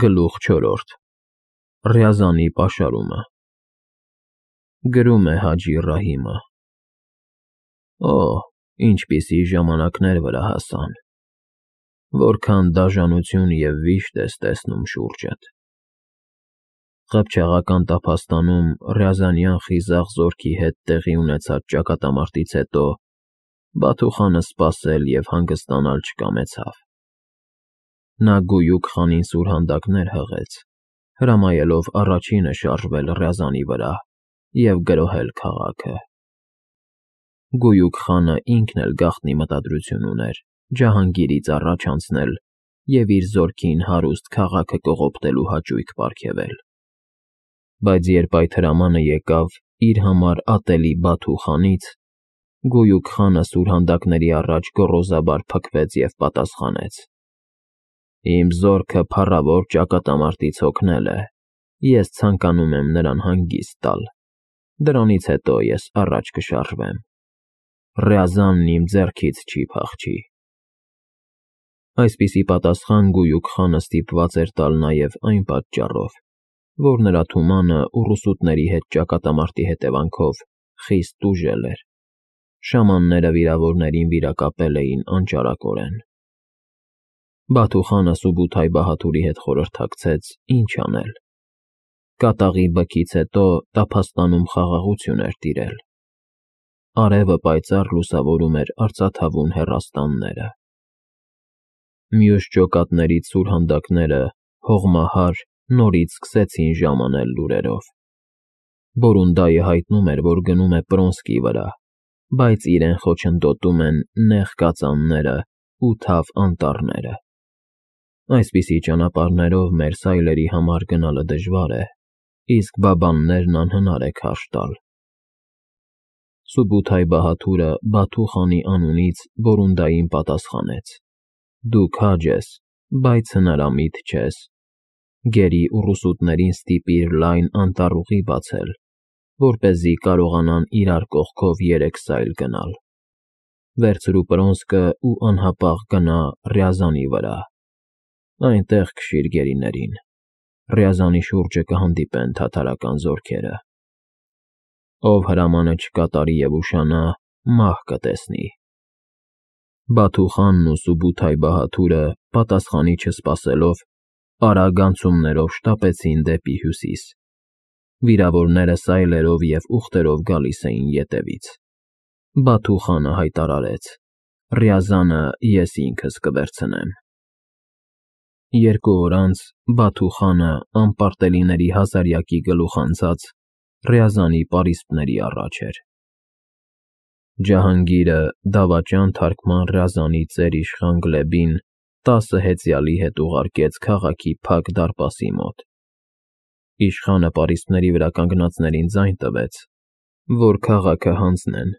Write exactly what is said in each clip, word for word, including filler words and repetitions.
Գլուխ չորրորդ Ռյազանի պաշարումը Գրում է Հաջի Ռահիմը Օ, ինչպիսի ժամանակներ վրա հասան, որքան դաժանություն և վիշտ ես տեսնում շուրջդ։ Ղփչաղական տափաստանում Ռյազանյան խիզախ զորքի հետ տեղի ունեցած ճակատամարտից հետո Բաթուխանը սպասել և հանգստանալ չկամեցավ։ Նա գույուք խանին սուրհանդակներ հղեց, հրամայելով առաջինը շարժվել Ռյազանի վրա և գրոհել քաղաքը։ Գույուք խանը ինքն էլ գաղտնի մտադրություն ուներ Ջահանգիրից առաջ անցնել և իր զորքին հարուստ քաղաքը կողոպտելու հաճույք պարգևել։ Բայց երբ այդ հրամանը եկավ իր համար ատելի Բաթու խանից, Գույուք խանը սուրհանդակների առաջ գոռոզաբար փքվեց և պատասխանեց. «Իմ զորքը փառավոր ճակատամարտից հոգնել է, ես ցանկանում եմ նրան հանգիստ տալ, դրանից հետո ես առաջ կշարժվեմ։ Ռյազանն իմ ձեռքից չի փախչի»։ Այսպիսի պատասխան Գույուք խանը ստիպված էր տալ նաև այն պատճառով, որ նրա թումանը ուռուսուտների հետ ճակատամարտի հետևանքով խիստ տուժել էր։ Շամանները վիրավորներին վիրակապել էին անճարակորեն։ Բաթու խանը Սուբութայ-Բահադուրի հետ խորհրդակցեց ինչ անել։ Կատաղի բքից հետո տափաստանում խաղաղություն էր տիրել։ Արևը պայծառ լուսավորում էր արծաթավուն հեռաստանները։ Մյուս ջոկատներից սուրհանդակները հողմահար նորից սկսեցին ժամանել լուրերով։ Բորունդայը հայտնում էր, որ գնում է Պրոնսկի վրա, բայց իրեն խոչընդոտում են նեղ կածանները ու թավ անտառները։ Այսպիսի ճանապարհներով մեր սայլերի համար գնալը դժվար է, իսկ բաբաններն անհնար է քարշ տալ։ Սուբութայ-Բահադուրը Բաթու խանի անունից Բորունդային պատասխանեց. «Դու քաջ ես, բայց հնարամիտ չես։ Գերի ուռուսուտներին ստիպիր լայն անտառուղի բացել, որպեսզի կարողանան իրար կողքով երեք սայլ գնալ։ Վերցրու Պրոնսկը ու անհապաղ գնա Ռյազանի վրա։ Այնտեղ քշիր գերիներին։ Ռյազանի շուրջը կհանդիպեն թաթարական զորքերը։ Ով հրամանը չկատարի և ուշանա, մահ կտեսնի»։ Բաթու խանն ու Սուբութայ-Բահադուրը պատասխանի չսպասելով արագ անցումներով շտապեցին դեպի հյուսիս։ Վիրավորները սայլերով և ուղտերով գալիս էին ետևից։ Բաթու խանը հայտարարեց. «Ռյազանը ես ինքս կվերցնեմ»։ Երկու օր անց Բաթու խանը անպարտելիների հազարյակի գլուխ անցած Ռյազանի պարիսպների առաջ էր։ Ջահանգիրը դավաճան թարգման Ռյազանի ծեր-իշխան Գլեբին տասը հեծյալի հետ ուղարկեց քաղաքի փակ դարպասի մոտ։ Իշխանը պարիսպների վրա կանգնածներին ձայն տվեց, որ քաղաքը հանձնեն։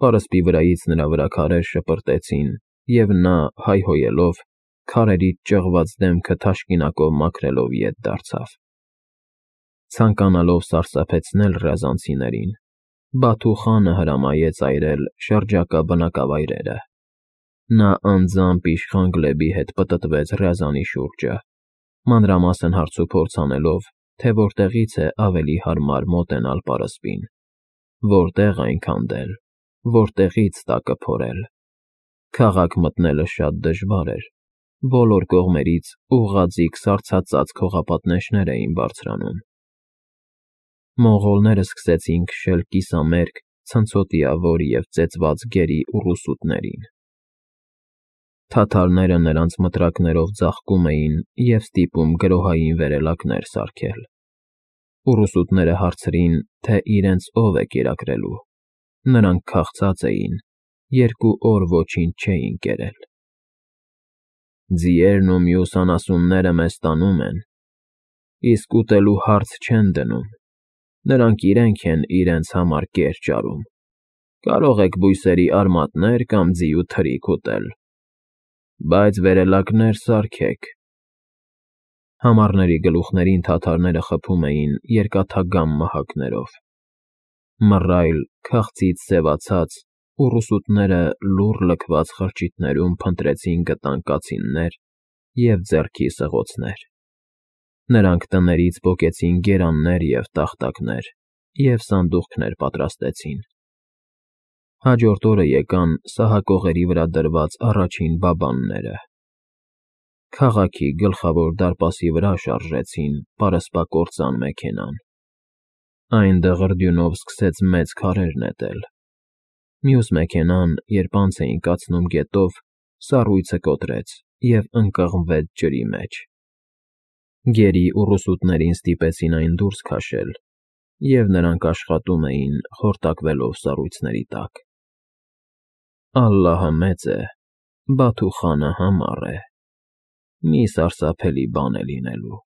Պարսպի վրայից նրա վրա քարեր շպրտեցին, և նա, հայհոյելով, քարերից ճղված դեմքը թաշկինակով մաքրելով ետ դարձավ։ Ցանկանալով սարսափեցնել ռյազանցիներին, Բաթու խանը հրամայեց այրել շրջակա բնակավայրերը։ Նա անձամբ իշխան Գլեբի հետ պտտվեց Ռյազանի շուրջը, մանրամասն հարցուփորձ անելով, թե որտեղից է ավելի հարմար մոտենալ պարսպին, որտեղ այն քանդել, որտեղից տակը փորել։ Քաղաք մտնելը շատ դժվար էր, բոլոր կողմերից ուղղաձիգ սառցածած քողապատնեշներ էին բարձրանում։ Մոնղոլները սկսեցին քշել կիսամերկ, ցնցոտիավոր և ծեծված գերի ուռուսուտներին։ Թաթարները նրանց մտրակներով ձաղկում էին և ստիպում գրոհային վերելակներ սարքել։ Ուռուսուտները հարցրին, թե իրենց ով է կերակրելու։ Նրանք քաղցած էին, երկու օր ոչինչ չէին կերել։ «Ձիերն ու մյուս անասունները մեզ տանում են, իսկ ուտելու հարց չեն դնում։ Նրանք իրենք են իրենց համար կեր ճարում։ Կարող եք բույսերի արմատներ կամ ձիու թրիք ուտել, բայց վերելակներ սարքեք»։ Համառների գլուխներին թաթարները խփում էին երկաթագամ մահակներով։ Մռայլ, քաղցից սևացած, ուռուսուտները լուռ լքված խրճիթներում փնտրեցին գտան կացիններ և ձեռքի սղոցներ։ Նրանք տներից պոկեցին գերաններ և տախտակներ և սանդուղքներ պատրաստեցին։ Հաջորդ օրը եկան սահակողերի վրա դրված առաջին բաբանները։ Քաղաքի գլխավոր դարպասի վրա շարժեցին պարսպակործան մեքենան։ Այն դղրդյունով սկսեց մեծ քարեր նետել։ Մյուս մեքենան, երբ անց էին կացնում գետով, սառույցը կոտրեց և ընկղմվեց ջրի մեջ։ Գերի ուռուսուտներին ստիպեցին այն դուրս քաշել, և նրանք աշխատում էին՝ խորտակվելով սառույցների տակ։ Ալլահը մեծ է, Բաթուխանը համառ է, մի սարսափելի բան է լինելու։